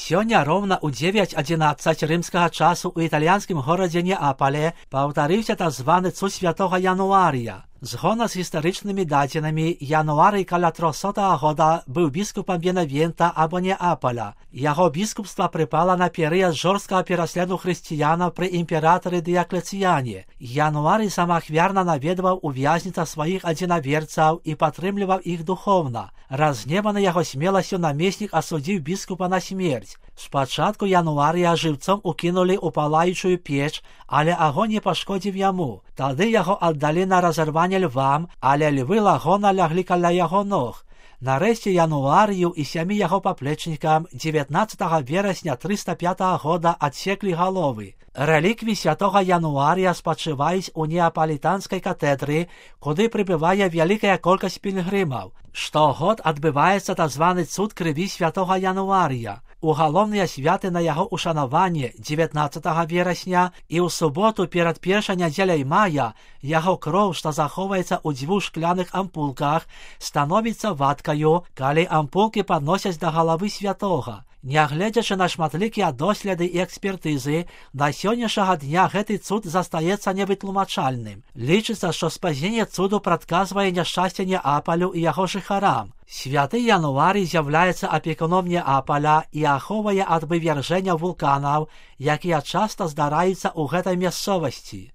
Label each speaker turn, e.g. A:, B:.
A: Сёння роўна ў 9:11 рымскага часу ў італьянскім горадзе Неапале паўтарыўся так званы цуд святога Януарія. Згодна з гістарычнымі дадзенымі, Януарый каля 300 года быў біскупам Бенавента або Неапаля. Яго біскупства прыпала на перыяд жорсткага пераследу хрысціянаў пры імператары Дыяклецыяне. Януарый самаахвярна наведваў у вязніцах сваіх адзінаверцаў і падтрымліваў іх духоўна. Разгневаны яго смеласцю намеснік асудзіў біскупа на смерць. Спачатку Януарыя жыўцом укінулі ў палаючую печ, але агонь не пашкодзіў яму. Тады яго аддалі на разарванне львам, але львы лагона ляглі каля яго ног. Нарэшце Януарыю і 7 яго паплечнікам 19 верасня 305 года адсеклі галовы. Рэліквіі святога Януарыя спачываюць у неапалітанскай катэдры, куды прыбывае вялікая колькасць пільгрымаў. Штогод адбываецца так званы цуд крыві святога Януарыя. У галоўныя святы на яго ушанаванне 19 верасня і ў суботу перад першай нядзеляй мая яго кроў, што захоўваецца ў 2 шкляных ампулках, становіцца вадкаю, калі ампулкі падносяць да галавы святога. Нягледзячы на шматлікія доследы і экспертызы, да сённяшняга дня гэты цуд застаецца невытлумачальным. Лічыцца, што спазненне цуду прадказвае няшчасце Неапалю і яго жыхарам. Святы Януарый з'яўляецца апекуном Неапаля і ахоўвае ад вывяржэння вулканаў, якія часта здараюцца ў гэтай мясцовасці.